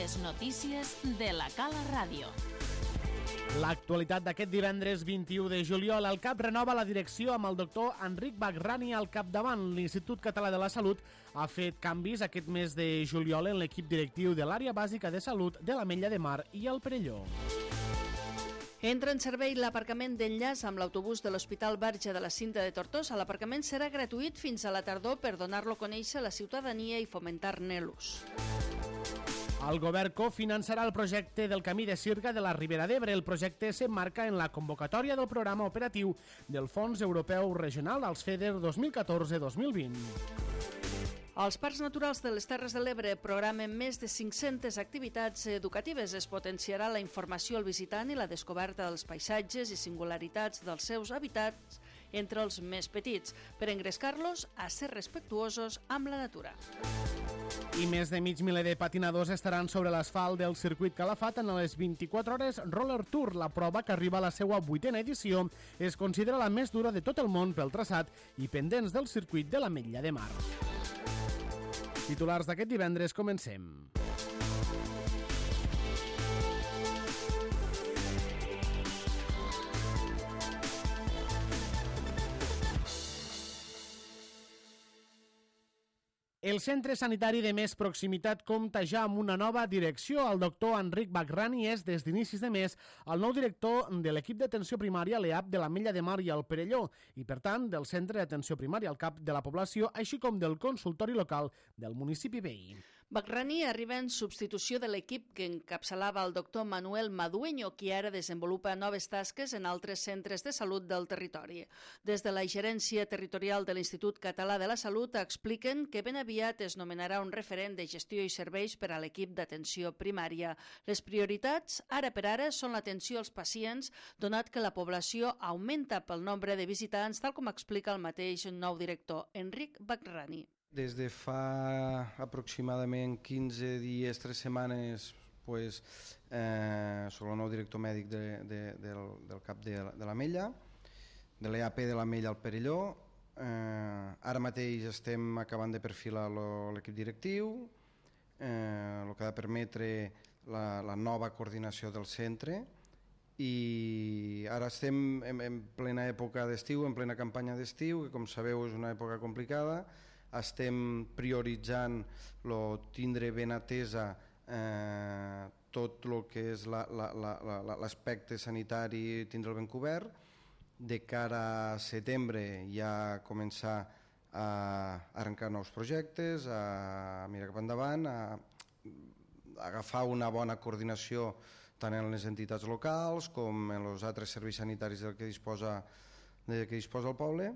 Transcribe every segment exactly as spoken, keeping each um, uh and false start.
Les notícies de la Cala Ràdio. L'actualitat d'aquest divendres vint-i-u de juliol. El C A P renova la direcció amb el doctor Enric Bagrani al capdavant. L'Institut Català de la Salut ha fet canvis aquest mes de juliol en l'equip directiu de l'àrea bàsica de salut de l'Ametlla de Mar i el Perelló. Entra en servei l'aparcament d'enllaç amb l'autobús de l'Hospital Verge de la Cinta de Tortosa. L'aparcament serà gratuït fins a la tardor per donar-lo a conèixer a la ciutadania i fomentar-ne l'ús. El govern cofinançarà el projecte del Camí de Sirga de la Ribera d'Ebre. El projecte s'emmarca en la convocatòria del programa operatiu del Fons Europeu Regional als FEDER dos mil catorze dos mil vint. Els Parcs Naturals de les Terres de l'Ebre programen més de cinc-centes activitats educatives. Es potenciarà la informació al visitant i la descoberta dels paisatges i singularitats dels seus hàbitats entre els més petits, per engrescar-los a ser respectuosos amb la natura. I més de mig miler de patinadors estaran sobre l'asfalt del circuit Calafat en les vint-i-quatre hores Roller Tour. La prova, que arriba a la seva vuitena edició, es considera la més dura de tot el món pel traçat i pendents del circuit de l'Ametlla de Mar. Titulars d'aquest divendres, comencem. El centre sanitari de més proximitat compta ja amb una nova direcció. El doctor Enric Bagrani és, des d'inicis de mes, el nou director de l'equip d'atenció primària l'E A P de l'Ametlla de Mar i el Perelló i, per tant, del centre d'atenció primària al cap de la població, així com del consultori local del municipi veí. Bagrani arriba en substitució de l'equip que encapçalava el doctor Manuel Madueño, qui ara desenvolupa noves tasques en altres centres de salut del territori. Des de la gerència territorial de l'Institut Català de la Salut expliquen que ben aviat es nomenarà un referent de gestió i serveis per a l'equip d'atenció primària. Les prioritats, ara per ara, són l'atenció als pacients, donat que la població augmenta pel nombre de visitants, tal com explica el mateix nou director, Enric Bagrani. Des de fa aproximadament quinze dies, tres setmanes, pues, eh, soc el nou director mèdic de, de, del, del cap de, de l'Ametlla, de l'E A P de l'Ametlla al Perelló. Eh, ara mateix estem acabant de perfilar l'equip directiu, eh, el que ha de permetre la, la nova coordinació del centre, i ara estem en, en plena època d'estiu, en plena campanya d'estiu, que com sabeu és una època complicada. Estem prioritzant lo tindre ben atesa eh, tot el que és l'aspecte sanitari, tindre'l ben cobert. De cara a setembre ja començar a arrencar nous projectes, a mirar cap endavant, a agafar una bona coordinació tant en les entitats locals com en els altres serveis sanitaris del que disposa, de què disposa el poble.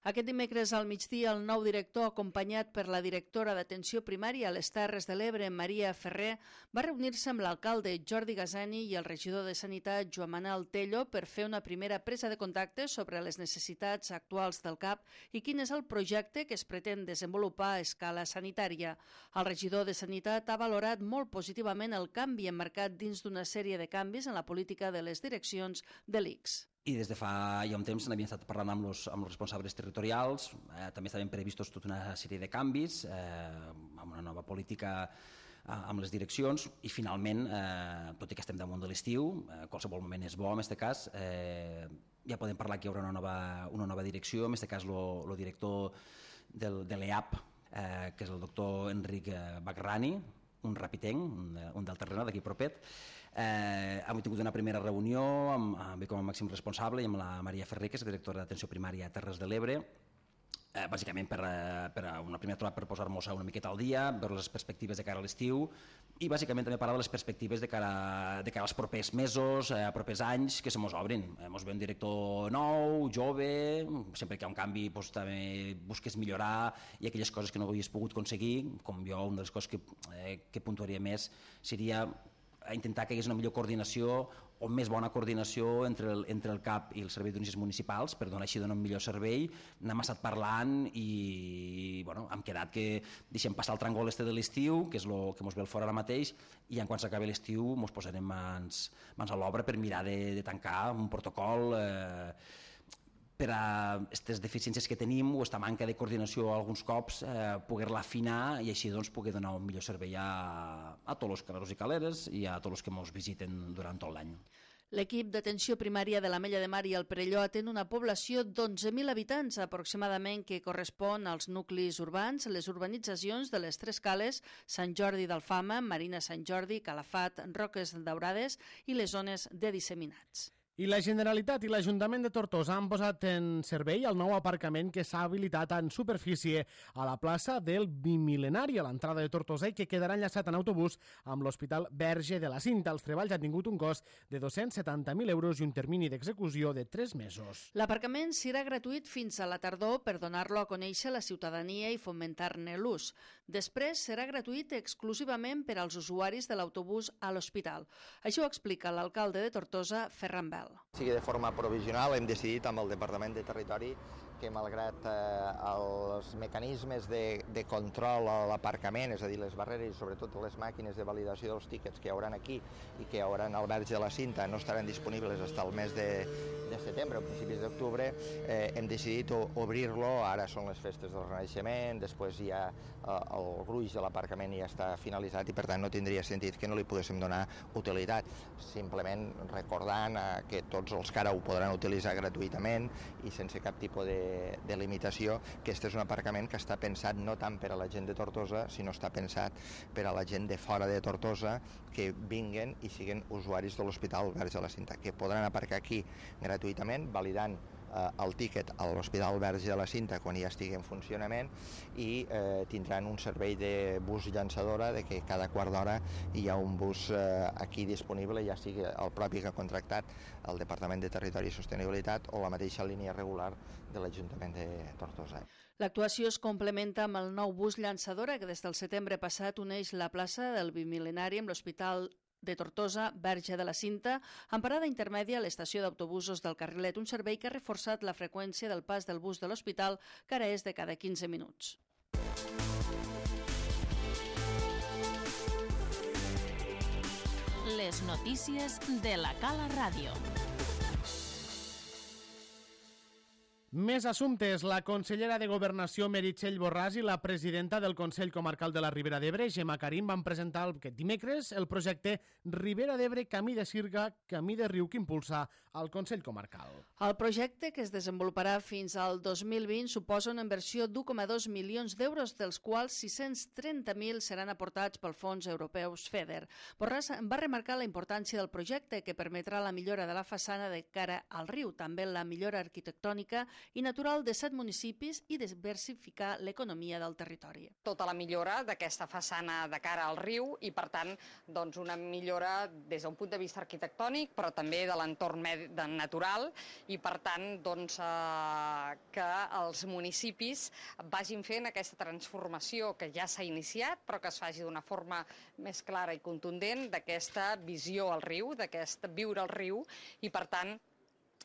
Aquest dimecres al migdia, el nou director, acompanyat per la directora d'atenció primària a les Terres de l'Ebre, Maria Ferrer, va reunir-se amb l'alcalde Jordi Gazani i el regidor de Sanitat, Joan Manel Tello, per fer una primera presa de contacte sobre les necessitats actuals del C A P i quin és el projecte que es pretén desenvolupar a escala sanitària. El regidor de Sanitat ha valorat molt positivament el canvi emmarcat dins d'una sèrie de canvis en la política de les direccions de l'I C S. I des de fa ja un temps n'havíem estat parlant amb els, amb els responsables territorials, eh, també estaven previstos tota una sèrie de canvis, eh, amb una nova política eh, amb les direccions, i finalment, eh, tot i que estem damunt de l'estiu, eh, qualsevol moment és bo en aquest cas, eh, ja podem parlar que hi haurà una nova, una nova direcció, en aquest cas el director del, de l'E A P, eh, que és el doctor Enric Bagrani, un rapitenc, un, un del terreno d'aquí propet. Eh, hem tingut una primera reunió amb, amb, com a màxim responsable i amb la Maria Ferrer, que és directora d'atenció primària a Terres de l'Ebre, eh, bàsicament per, per una primera trobada per posar-nos una miqueta al dia, veure les perspectives de cara a l'estiu i bàsicament també parlar de les perspectives de cara, de cara als propers mesos, eh, propers anys que se mos obrin. Eh, mos ve un director nou, jove, sempre que hi ha un canvi doncs, també busques millorar i aquelles coses que no havies pogut aconseguir, com jo, una de les coses que, eh, que puntuaria més seria a intentar que hi hagués una millor coordinació o més bona coordinació entre el, entre el C A P i el Servei d'Urgències Municipals per donar així donar un millor servei. N'hem estat parlant i bueno, hem quedat que deixem passar el tràngol este de l'estiu, que és el que ens ve al fora ara mateix, i en quan s'acabi l'estiu ens posarem mans, mans a l'obra per mirar de, de tancar un protocol eh, per a aquestes deficiències que tenim o aquesta manca de coordinació alguns cops eh, poder-la afinar i així doncs poder donar un millor servei a, a tots els caleros i caleres i a tots els que ens visiten durant tot l'any. L'equip d'atenció primària de l'Ametlla de Mar i el Perelló atén una població d'onze mil habitants aproximadament que correspon als nuclis urbans, les urbanitzacions de les Tres Cales, Sant Jordi d'Alfama, Marina Sant Jordi, Calafat, Roques Daurades i les zones de disseminats. I la Generalitat i l'Ajuntament de Tortosa han posat en servei el nou aparcament que s'ha habilitat en superfície a la plaça del Bimil·lenari, a l'entrada de Tortosa, i que quedarà enllaçat en autobús amb l'Hospital Verge de la Cinta. Els treballs han tingut un cost de dos-cents setanta mil euros i un termini d'execució de tres mesos. L'aparcament serà gratuït fins a la tardor per donar-lo a conèixer a la ciutadania i fomentar-ne l'ús. Després serà gratuït exclusivament per als usuaris de l'autobús a l'hospital. Això ho explica l'alcalde de Tortosa, Ferran Bel. Sí que de forma provisional hem decidit amb el Departament de Territori que malgrat eh, els mecanismes de, de control a l'aparcament, és a dir, les barreres i sobretot les màquines de validació dels tíquets que hi haurà aquí i que hi haurà al Verge de la Cinta no estaran disponibles fins al mes de, de setembre o principis d'octubre, eh, hem decidit obrir-lo. Ara són les festes del Renaixement, després ja eh, el gruix de l'aparcament ja està finalitzat i per tant no tindria sentit que no li poguéssim donar utilitat. Simplement recordant eh, que tots els que ara ho podran utilitzar gratuïtament i sense cap tipus de de limitació, que este és un aparcament que està pensat no tant per a la gent de Tortosa, sinó està pensat per a la gent de fora de Tortosa que vinguen i siguin usuaris de l'Hospital Verge de la Cinta, que podran aparcar aquí gratuïtament, validant eh, el tíquet a l'Hospital Verge de la Cinta quan ja estigui en funcionament i eh, tindran un servei de bus llançadora, de que cada quart d'hora hi ha un bus eh, aquí disponible, ja sigui el propi que ha contractat el Departament de Territori i Sostenibilitat o la mateixa línia regular de l'Ajuntament de Tortosa. L'actuació es complementa amb el nou bus llançadora que des del setembre passat uneix la plaça del Bimil·lenari amb l'Hospital de Tortosa, Verge de la Cinta, amb parada intermèdia a l'estació d'autobusos del Carrilet, un servei que ha reforçat la freqüència del pas del bus de l'hospital, que ara és de cada quinze minuts. Les notícies de la Cala Ràdio. Més assumptes. La consellera de Governació, Meritxell Borràs, i la presidenta del Consell Comarcal de la Ribera d'Ebre, Gemma Karim, van presentar aquest dimecres el projecte Ribera d'Ebre Camí de Sirga, Camí de Riu, que impulsa el Consell Comarcal. El projecte, que es desenvoluparà fins al dos mil vint, suposa una inversió d'u coma dos milions d'euros, dels quals sis-cents trenta mil seran aportats pel Fons Europeus FEDER. Borràs va remarcar la importància del projecte, que permetrà la millora de la façana de cara al riu, també la millora arquitectònica i natural de set municipis i diversificar l'economia del territori. Tota la millora d'aquesta façana de cara al riu i, per tant, doncs una millora des d'un punt de vista arquitectònic, però també de l'entorn natural i, per tant, doncs, eh, que els municipis vagin fent aquesta transformació que ja s'ha iniciat, però que es faci d'una forma més clara i contundent d'aquesta visió al riu, d'aquest viure al riu i, per tant,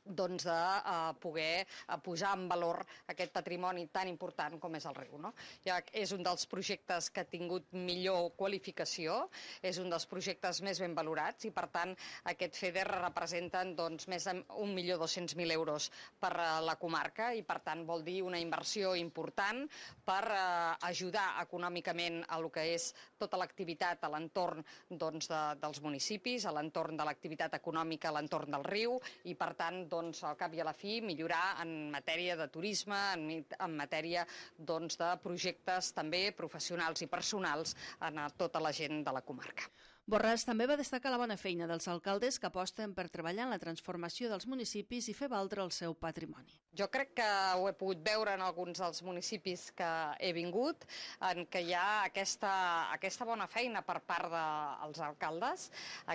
doncs de uh, poder uh, posar en valor aquest patrimoni tan important com és el riu. No? Ja és un dels projectes que ha tingut millor qualificació, és un dels projectes més ben valorats i, per tant, aquest FEDER representen doncs, més d'un milió dos-cents mil euros per uh, la comarca i, per tant, vol dir una inversió important per uh, ajudar econòmicament a lo que és tota l'activitat a l'entorn doncs, de, dels municipis, a l'entorn de l'activitat econòmica a l'entorn del riu i, per tant, doncs, al cap i a la fi, millorar en matèria de turisme, en, en matèria doncs, de projectes també professionals i personals en tota la gent de la comarca. Borràs també va destacar la bona feina dels alcaldes que aposten per treballar en la transformació dels municipis i fer valdre el seu patrimoni. Jo crec que ho he pogut veure en alguns dels municipis que he vingut, en què hi ha aquesta, aquesta bona feina per part dels alcaldes,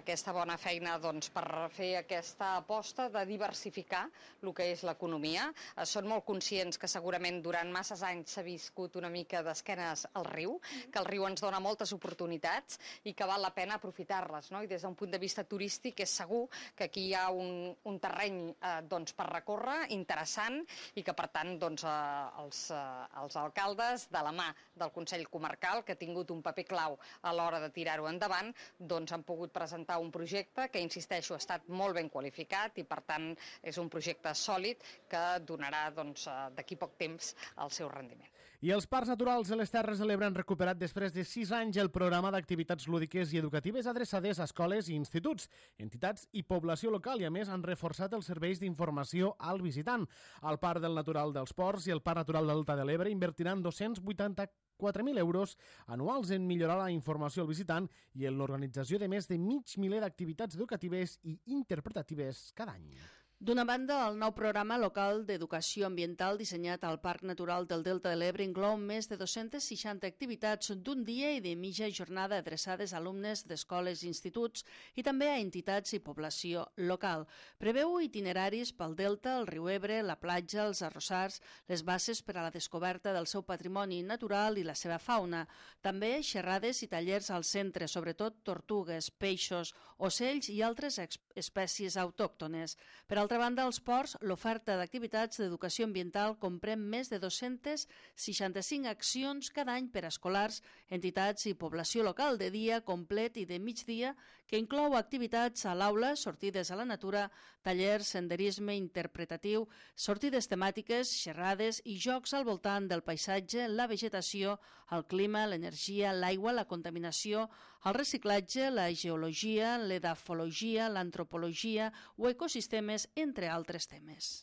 aquesta bona feina doncs, per fer aquesta aposta de diversificar el que és l'economia. Són molt conscients que segurament durant masses anys s'ha viscut una mica d'esquenes al riu, que el riu ens dona moltes oportunitats i que val la pena aprofitar-les, no? I des d'un punt de vista turístic és segur que aquí hi ha un, un terreny eh, doncs, per recórrer interessant i que per tant doncs, eh, els, eh, els alcaldes de la mà del Consell Comarcal, que ha tingut un paper clau a l'hora de tirar-ho endavant, doncs han pogut presentar un projecte que, insisteixo, ha estat molt ben qualificat i per tant és un projecte sòlid que donarà doncs, d'aquí poc temps el seu rendiment. I els parcs naturals de les Terres de l'Ebre han recuperat després de sis anys el programa d'activitats lúdiques i educatives adreçades a escoles i instituts, entitats i població local i, a més, han reforçat els serveis d'informació al visitant. El Parc del Natural dels Ports i el Parc Natural del Delta de l'Ebre invertiran dos-cents vuitanta-quatre mil euros anuals en millorar la informació al visitant i en l'organització de més de mig miler d'activitats educatives i interpretatives cada any. D'una banda, el nou programa local d'educació ambiental dissenyat al Parc Natural del Delta de l'Ebre inclou més de dos-centes seixanta activitats d'un dia i de mitja jornada adreçades a alumnes d'escoles i instituts i també a entitats i població local. Preveu itineraris pel Delta, el riu Ebre, la platja, els arrossars, les bases per a la descoberta del seu patrimoni natural i la seva fauna. També xerrades i tallers al centre, sobretot tortugues, peixos, ocells i altres espècies autòctones. Per altra banda, als ports, l'oferta d'activitats d'educació ambiental comprèn més de dos-centes seixanta-cinc accions cada any per a escolars, entitats i població local de dia complet i de migdia, que inclou activitats a l'aula, sortides a la natura, tallers, senderisme interpretatiu, sortides temàtiques, xerrades i jocs al voltant del paisatge, la vegetació, el clima, l'energia, l'aigua, la contaminació, el reciclatge, la geologia, l'edafologia, l'antropologia o ecosistemes, entre altres temes.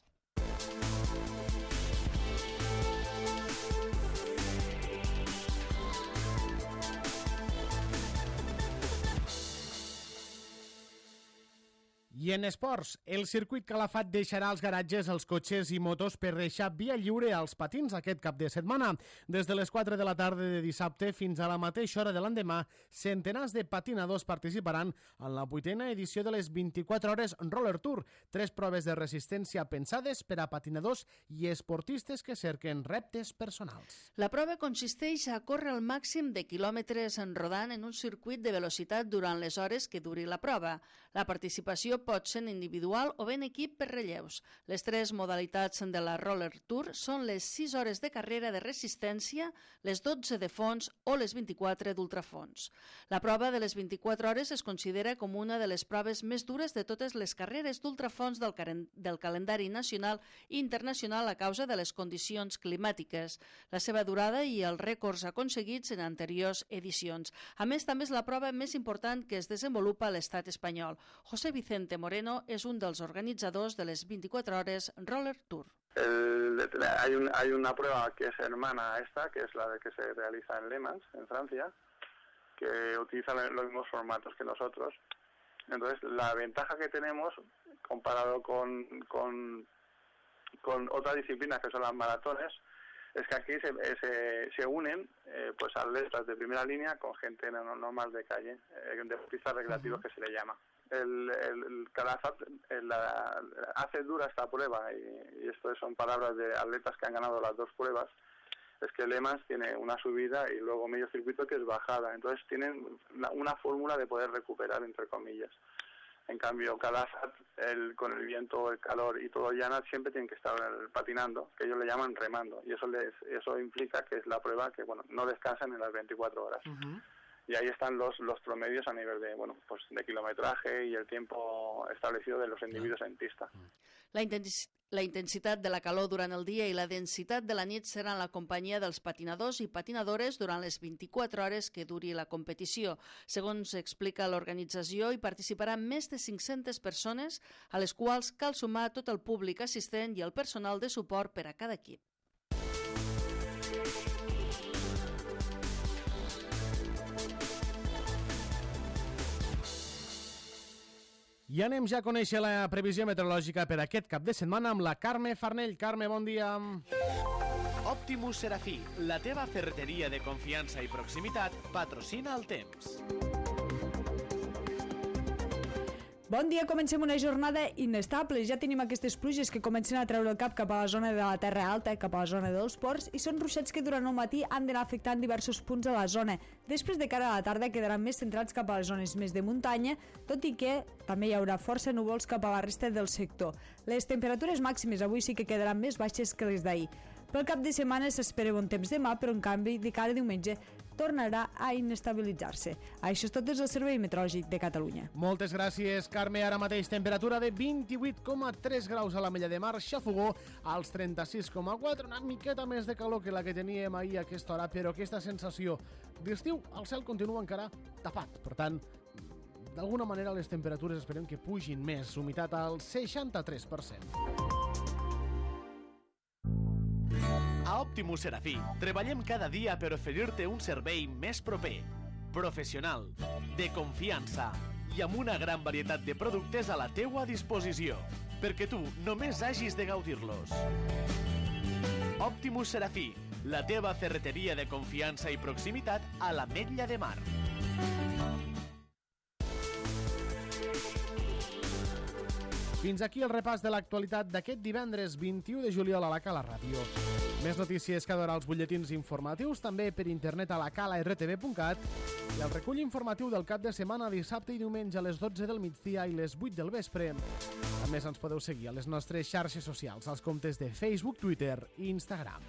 I en esports, el circuit Calafat deixarà als garatges els cotxes i motos per deixar via lliure als patins aquest cap de setmana. Des de les quatre de la tarda de dissabte fins a la mateixa hora de l'endemà, centenars de patinadors participaran en la vuitena edició de les vint-i-quatre hores Roller Tour, tres proves de resistència pensades per a patinadors i esportistes que cerquen reptes personals. La prova consisteix a córrer el màxim de quilòmetres rodant en un circuit de velocitat durant les hores que duri la prova. La participació pot ser individual o ben equip per relleus. Les tres modalitats de la Roller Tour són les sis hores de carrera de resistència, les dotze de fons o les vint-i-quatre d'ultrafons. La prova de les vint-i-quatre hores es considera com una de les proves més dures de totes les carreres d'ultrafons del, del calendari nacional i internacional a causa de les condicions climàtiques, la seva durada i els rècords aconseguits en anteriors edicions. A més, també és la prova més important que es desenvolupa a l'estat espanyol. José Vicente Moreno es un dels organitzadors de les vint-i-quatre hores Roller Tour. El, hay, un, hay una prueba que es hermana a esta, que es la de que se realiza en Le Mans, en Francia, que utiliza los mismos formatos que nosotros. Entonces, la ventaja que tenemos comparado con, con, con otras disciplinas que son las maratones, es que aquí se, se, se unen eh, pues atletas de primera línea con gente no, normal de calle, eh, deportistas recreativos que se le llama. El, el, el Calafat la, hace dura esta prueba y, y esto son palabras de atletas que han ganado las dos pruebas. Es que Le Mans tiene una subida y luego medio circuito que es bajada, entonces tienen una, una fórmula de poder recuperar, entre comillas. En cambio, Calafat, el, con el viento, el calor y todo llana, siempre tienen que estar patinando, que ellos le llaman remando, y eso les eso implica que es la prueba que bueno no descansan en las veinticuatro horas. Uh-huh. Y ahí están los los promedios a nivel de bueno pues de kilometraje y el tiempo establecido de los individuos en pista. La, intens la intensitat de la calor durant el dia i la densitat de la nit seran la companyia dels patinadors i patinadores durant les vint-i-quatre hores que duri la competició. Segons explica l'organització, hi participaran més de cinc-centes persones, a les quals cal sumar tot el públic assistent i el personal de suport per a cada equip. I anem ja a conèixer la previsió meteorològica per aquest cap de setmana amb la Carme Farnell. Carme, bon dia. Optimus Serafí, la teva ferreteria de confiança i proximitat, patrocina el temps. Bon dia, comencem una jornada inestable. Ja tenim aquestes pluges que comencen a treure el cap cap a la zona de la Terra Alta, cap a la zona dels ports, i són ruixats que durant el matí han d'anar afectant diversos punts de la zona. Després, de cara a la tarda, quedaran més centrats cap a les zones més de muntanya, tot i que també hi haurà força núvols cap a la resta del sector. Les temperatures màximes avui sí que quedaran més baixes que les d'ahir. Pel cap de setmana s'espera bon temps demà, però en canvi, de cara a diumenge, tornarà a inestabilitzar-se. Això és tot des del Servei Meteorològic de Catalunya. Moltes gràcies, Carme. Ara mateix temperatura de vint-i-vuit coma tres graus a l'Ametlla de Mar, Xafogó als trenta-sis coma quatre, una miqueta més de calor que la que teníem ahir a aquesta hora, però aquesta sensació d'estiu, el cel continua encara tapat. Per tant, d'alguna manera les temperatures esperem que pugin més, humitat al seixanta-tres per cent. A Optimus Serafí treballem cada dia per oferir-te un servei més proper, professional, de confiança i amb una gran varietat de productes a la teua disposició, perquè tu només hagis de gaudir-los. Optimus Serafí, la teva ferreteria de confiança i proximitat a l'Ametlla de Mar. Fins aquí el repàs de l'actualitat d'aquest divendres vint-i-u de juliol a la Cala Ràdio. Més notícies cada hora als butlletins informatius, també per internet a la cala r t v punt cat i el recull informatiu del cap de setmana dissabte i diumenge a les dotze del migdia i les vuit del vespre. A més, ens podeu seguir a les nostres xarxes socials, als comptes de Facebook, Twitter i Instagram.